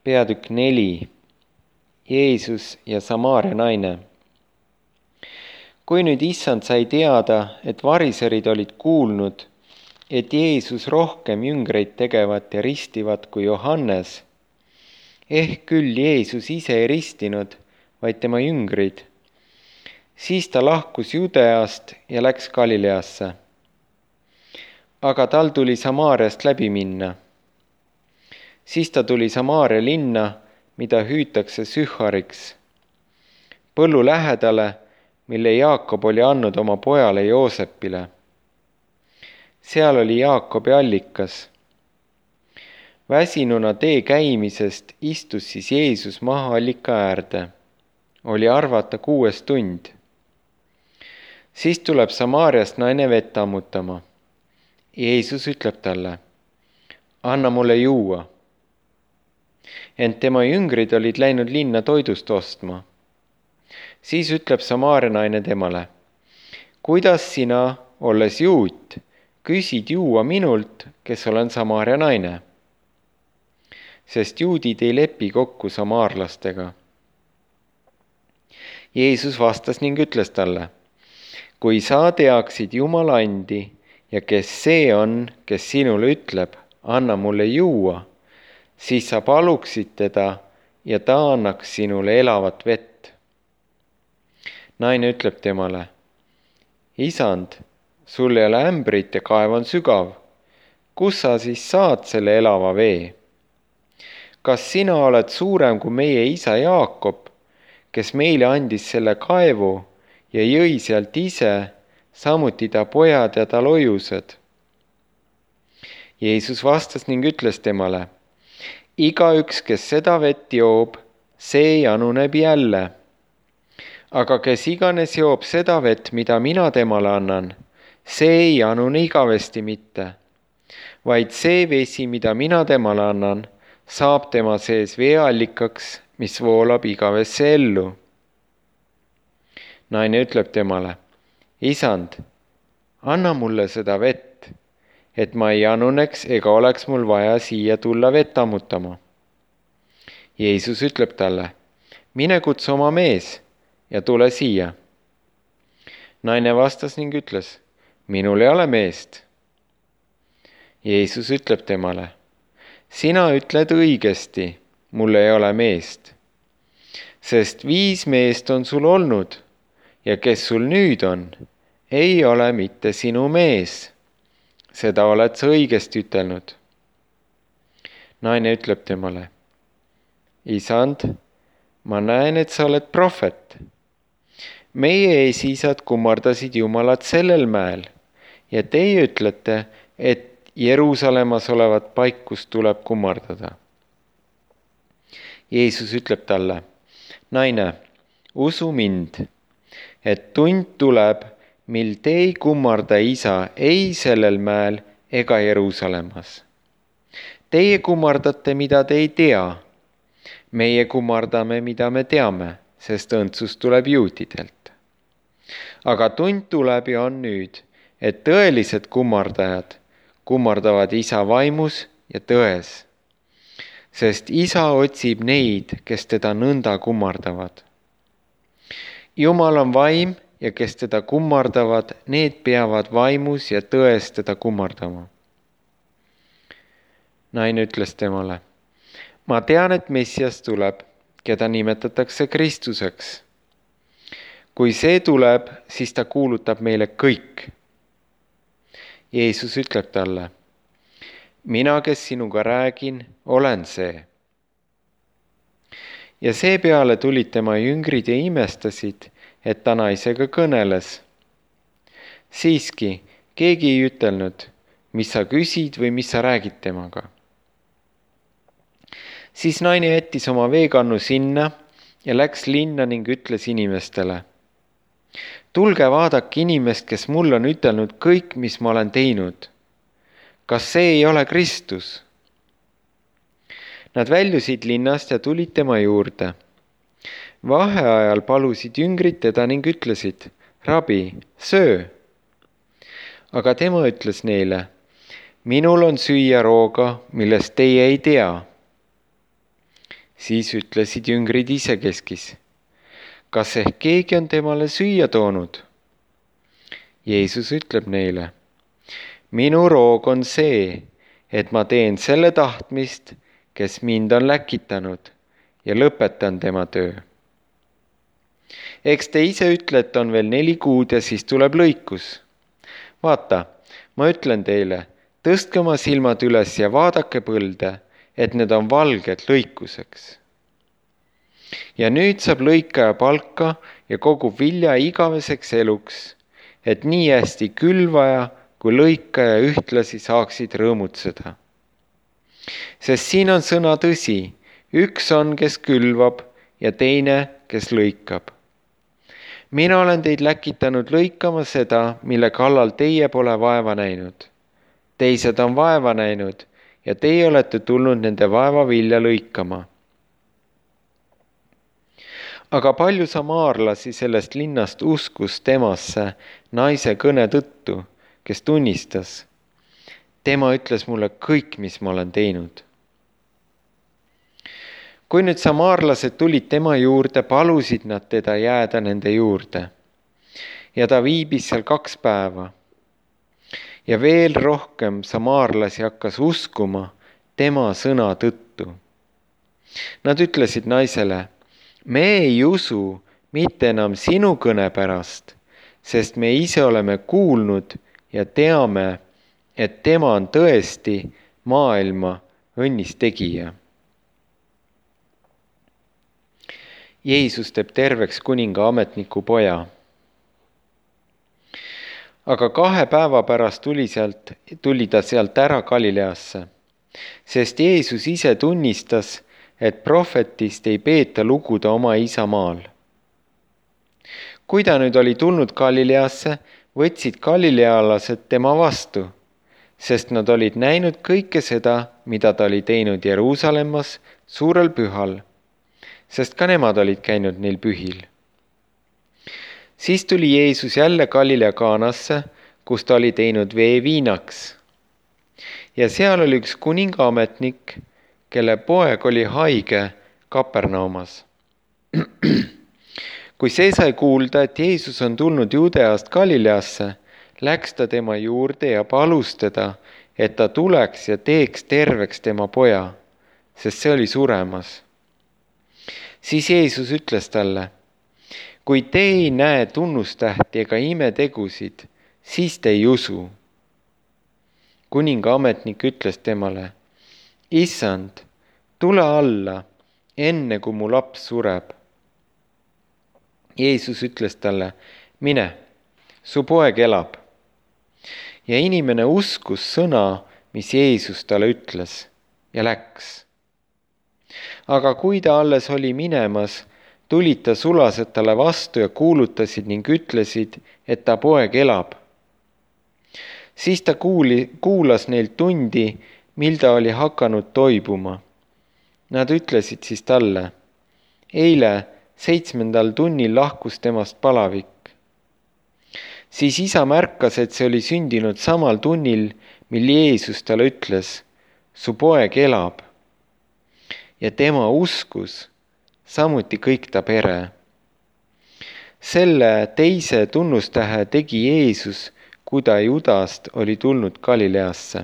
Peatükk 4. Jeesus ja Samaaria naine. Kui nüüd issand sai teada, et variserid olid kuulnud, et Jeesus rohkem jüngreid tegevat ja ristivat kui Johannes, ehk küll Jeesus ise ei ristinud, vaid tema jüngrid, siis ta lahkus Judeast ja läks Galileasse. Aga tal tuli Samaariast läbi minna. Siis ta tuli Samaaria linna, mida hüütakse Sühhariks, põllu lähedale, mille Jaakob oli andnud oma pojale Joosepile. Seal oli Jaakobi allikas. Väsinuna tee käimisest istus siis Jeesus maha allika äärde. Oli arvata 6. tund. Siis tuleb Samaariast naine vett ammutama. Jeesus ütleb talle, anna mulle juua. Ent tema jüngrid olid läinud linna toidust ostma. Siis ütleb Samaaria naine temale, kuidas sina, olles juut, küsid juua minult, kes olen Samaaria naine? Sest juudid ei lepi kokku samaarlastega. Jeesus vastas ning ütles talle, kui sa teaksid Jumala andi ja kes see on, kes sinule ütleb, anna mulle juua, siis sa paluksid teda ja ta annaks sinule elavat vett. Naine ütleb temale, isand, sul ei ole ämbrit ja kaev on sügav. Kus sa siis saad selle elava vee? Kas sina oled suurem kui meie isa Jaakob, kes meile andis selle kaevu ja jõi sealt ise, samuti ta pojad ja tal ojused? Jeesus vastas ning ütles temale, igaüks, kes seda vett joob, see januneb jälle. Aga kes iganes joob seda vett, mida mina temale annan, see ei janune igavesti mitte, vaid see vesi, mida mina temale annan, saab tema sees veeallikaks, mis voolab igavesse ellu. Naine ütleb temale, isand, anna mulle seda vett, et ma ei januneks ega oleks mul vaja siia tulla vett ammutama. Jeesus ütleb talle, mine kutsu oma mees ja tule siia. Naine vastas ning ütles, minul ei ole meest. Jeesus ütleb temale, sina ütled õigesti, mul ei ole meest. Sest 5 meest on sul olnud ja kes sul nüüd on, ei ole mitte sinu mees. Seda oled sa õigesti ütelnud. Naine ütleb temale, isand, ma näen, et sa oled prohvet. Meie esiisad kummardasid Jumalat sellel mäel ja teie ütlete, et Jeruusalemmas olevat paikust tuleb kummardada. Jeesus ütleb talle, naine, usu mind, et tund tuleb, mil te ei kummarda isa ei sellel mäel ega Jeruusalemmas. Teie kummardate, mida te ei tea. Meie kummardame, mida me teame, sest õndsus tuleb juutidelt. Aga tund tuleb ja on nüüd, et tõelised kummardajad kummardavad isa vaimus ja tões. Sest isa otsib neid, kes teda nõnda kummardavad. Jumal on vaim ja kes teda kummardavad, need peavad vaimus ja tões teda kummardama. Naine ütles temale, ma tean, et Messias tuleb, keda nimetatakse Kristuseks. Kui see tuleb, siis ta kuulutab meile kõik. Jeesus ütleb talle, mina, kes sinuga räägin, olen see. Ja seepeale tulid tema jüngrid ja imestasid, et ta naisega kõneles. Siiski, keegi ei ütelnud, mis sa küsid või mis sa räägid temaga. Siis naine jättis oma veekannu sinna ja läks linna ning ütles inimestele, tulge vaadake inimest, kes mulle on ütelnud kõik, mis ma olen teinud. Kas see ei ole Kristus? Nad väljusid linnast ja tulid tema juurde. Vaheajal palusid jüngrid teda ning ütlesid, rabi, söö. Aga tema ütles neile, minul on süüa rooga, millest teie ei tea. Siis ütlesid jüngrid isekeskis: kas ehk keegi on temale süüa toonud? Jeesus ütleb neile: minu roog on see, et ma teen selle tahtmist, kes mind on läkitanud, ja lõpetan tema töö. Eks te ise ütlete, on veel 4 kuud ja siis tuleb lõikus. Vaata, ma ütlen teile, tõstke oma silmad üles ja vaadake põlde, et need on valged lõikuseks. Ja nüüd saab lõikaja palka ja kogub vilja igaveseks eluks, et nii hästi külvaja kui lõikaja ühtlasi saaksid rõõmutseda. Sest siin on sõna tõsi, üks on, kes külvab ja teine, kes lõikab. Mina olen teid läkitanud lõikama seda, mille kallal teie pole vaeva näinud. Teised on vaeva näinud ja teie olete tulnud nende vaeva vilja lõikama. Aga palju samaarlasi sellest linnast uskus temasse naise kõne tõttu, kes tunnistas: tema ütles mulle kõik, mis ma olen teinud. Kui nüüd samaarlased tulid tema juurde, palusid nad teda jääda nende juurde. Ja ta viibis seal 2 päeva. Ja veel rohkem samaarlasi hakkas uskuma tema sõna tõttu. Nad ütlesid naisele: me ei usu mitte enam sinu kõne pärast, sest me ise oleme kuulnud ja teame, et tema on tõesti maailma õnnistegija. Jeesus teeb terveks kuninga ametniku poja. Aga 2 päeva pärast tuli ta sealt ära Galileasse, sest Jeesus ise tunnistas, et prohvetist ei peeta luguda oma isamaal. Kui ta nüüd oli tulnud Galileasse, võtsid galilealased tema vastu, sest nad olid näinud kõike seda, mida ta oli teinud Jeruusalemmas suurel pühal, sest ka nemad olid käinud neil pühil. Siis tuli Jeesus jälle Galilea Kaanasse, kus ta oli teinud vee viinaks. Ja seal oli üks kuningaametnik, kelle poeg oli haige Kapernaumas. Kui see sai kuulda, et Jeesus on tulnud Juudeast Galileasse, läks ta tema juurde ja palus teda, et ta tuleks ja teeks terveks tema poja, sest see oli suremas. Siis Jeesus ütles talle: kui te ei näe tunnustähti ega imetegusid, siis te ei usu. Kuningaametnik ütles temale: issand, tule alla, enne kui mu laps sureb. Jeesus ütles talle: mine, su poeg elab. Ja inimene uskus sõna, mis Jeesus talle ütles, ja läks. Aga kui ta alles oli minemas, tulid ta sulased talle vastu ja kuulutasid ning ütlesid, et ta poeg elab. Siis ta kuulas neilt tundi, mil ta oli hakanud toibuma. Nad ütlesid siis talle: eile 7. tunnil lahkus temast palavik. Siis isa märkas, et see oli sündinud samal tunnil, mil Jeesus talle ütles: su poeg elab. Ja tema uskus, samuti kõik ta pere. Selle teise tunnustähe tegi Jeesus, kui ta Judast oli tulnud Galileasse.